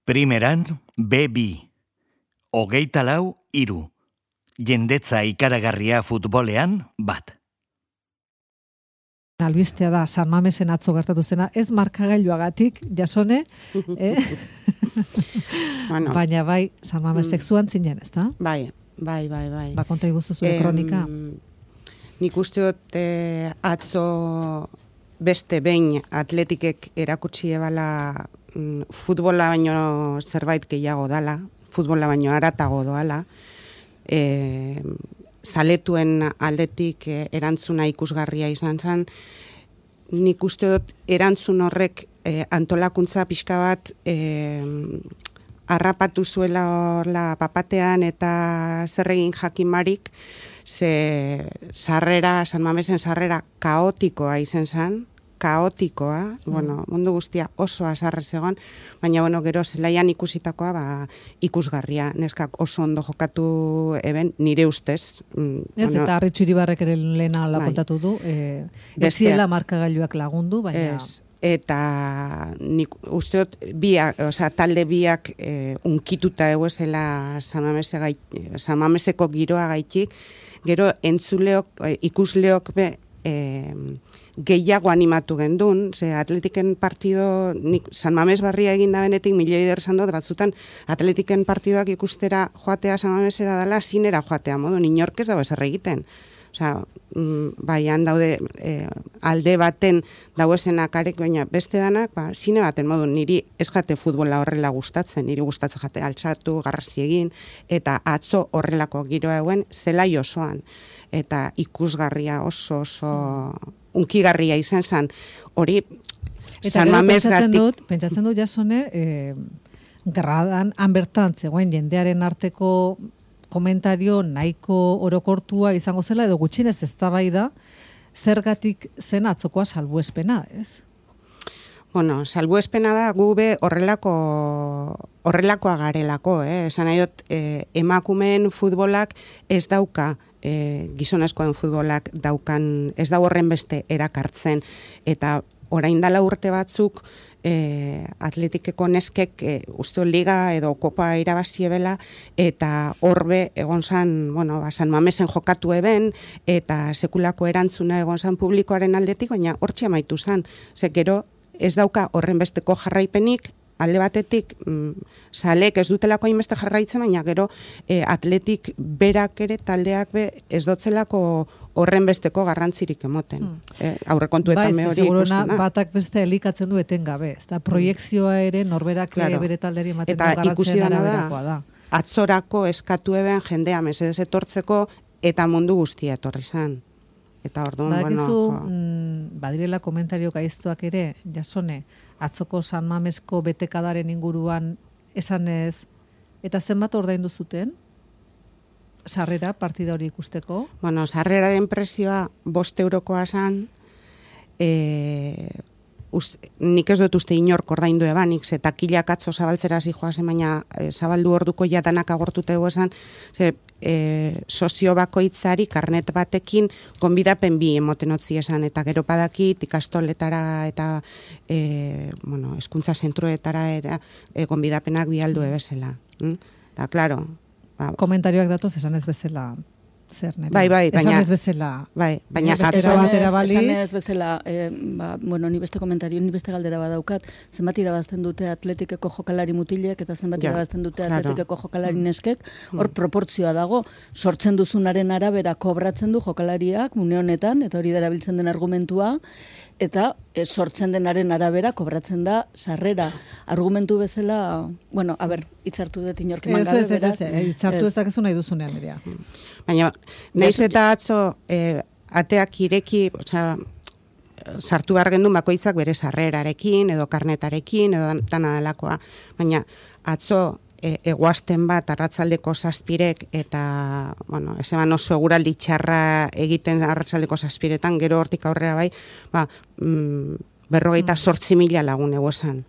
Primeran, B2. 24-3. Jendetza ikaragarria futbolean, bat. Albistea da, San Mamesen atzo gertatu zena, ez markagailuagatik, Jasone, Bueno, baina bai, San Mamesek zuan zinen, ez da? bai. Ba, konta iguzu zure kronika. Nik uste dut atzo beste behin atletikek erakutsi ebala futbola baino zerbait gehiago dala, futbola baino haratago doala, zaletuen aldetik erantzuna ikusgarria izan zen. Nik uste dut erantzun horrek antolakuntza pixka bat harrapatu zuela horla papatean eta zer egin jakinbarik, ze sarrera, San Mamesen sarrera kaotikoa izan zen, kaotikoa, bueno, mundu guztia oso azarre zegoen, baina bueno, gero zelaian ikusitakoa ikusgarria, neskak oso ondo jokatu eben, nire ustez. Ez, eta Arritxu Iribarrek ere lehena kontatu du, beziela markagailuak lagundu, baina... Ez. Eta nik uste dut talde biak unkituta eguezela San Mameseko giroa gaitik, gero entzuleok, ikusleok gehiago animatu gendun, ze atletiken partido, San Mames barria egin da benetik, milioi derzan dut, batzutan atletiken partidoak ikustera joatea San Mamesera dela, zinera joatea modu, inork ez dago ezer egiten. Baian daude alde baten dauezenak arek, baina beste danak, zine baten modu, niri ez jate futbola horrela gustatzen, niri gustatzen jate altxatu, garrazi egin, eta atzo horrelako giroa eguen zelai osoan. Eta ikusgarria oso unkigarria izan zen, hori San Mames gatik. Pentsatzen dut, Jasone, gradan, hanbertan zegoen jendearen arteko komentario nahiko orokortua izango zela, edo gutxinez eztabaida zergatik zen atzokoa salbuespena, ez? Bueno, salbuespena da gube horrelakoa garelako, esan nahi dut, emakumeen futbolak ez dauka, gizonezkoen futbolak daukan, ez da horren beste erakartzen, eta orain dela urte batzuk, atletikeko neskek uste liga edo kopa irabaziebela eta horbe egon zan, San Mamesen jokatu eben eta sekulako erantzuna egon zan publikoaren aldetik, baina hortxe amaitu zan. Ze gero ez dauka horren besteko jarraipenik, alde batetik salek ez dutelako hainbeste jarraitzen, baina gero atletik berak ere taldeak ez dotzelako horren besteko garrantzirik emoten. Aurrekontuetan me hori ikusten da. Batak beste elikatzen du etengabe. Eta proiekzioa ere norberak bere talderi ematen du garrantzen araberakoa da. Atzorako eskatu eben jendea mesedez etortzeko eta mundu guztia etorri zan. Eta orduan, badirela komentario gaiztuak ere, Jasone, atzoko San Mamesko betekadaren inguruan esanez, eta zenbat ordaindu zuten? Sarrera, partida hori ikusteko? Bueno, sarreraren prezioa 5 eurokoa zan, nik ez dut uste inork ordaindu ebanik, ze takilak atzo zabaltzera zijoazen, baina zabaldu orduko jadanak agortute esan, sozio bakoitzari karnet batekin gonbidapen bi emoten otzi esan, eta gero padakit ikastoletara eta hezkuntza zentruetara eta gonbidapenak bialdu ebezela. Eta, klaro, komentarioak datoz esan ez bezala zer nire. Bai, baina esan ez bezala. Bai, baina esan ez bezala, ni beste komentario, ni beste galdera badaukat, zenbat irabazten dute atletikeko jokalari mutilek eta zenbat irabazten dute atletikeko jokalari neskek, hor proportzioa dago, sortzen duzunaren arabera kobratzen du jokalariak une honetan, eta hori darabiltzen den argumentua, eta sortzen denaren arabera kobratzen da sarrera. Argumentu bezala, hitzartu dut inork eman gabe, beraz. Hitzartu ez dakezu nahi duzunean, Nerea. Baina, nahiz eta atzo ateak ireki, sartu behar gendun bakoitzak bere sarrerarekin, edo karnetarekin, edo dana delakoa. Baina, atzo eguazten bat arratsaldeko 7 eta, ez eban oso eguraldi txarra egiten arratsaldeko 7 gero hortik aurrera bai, 58.000 lagun eguesan.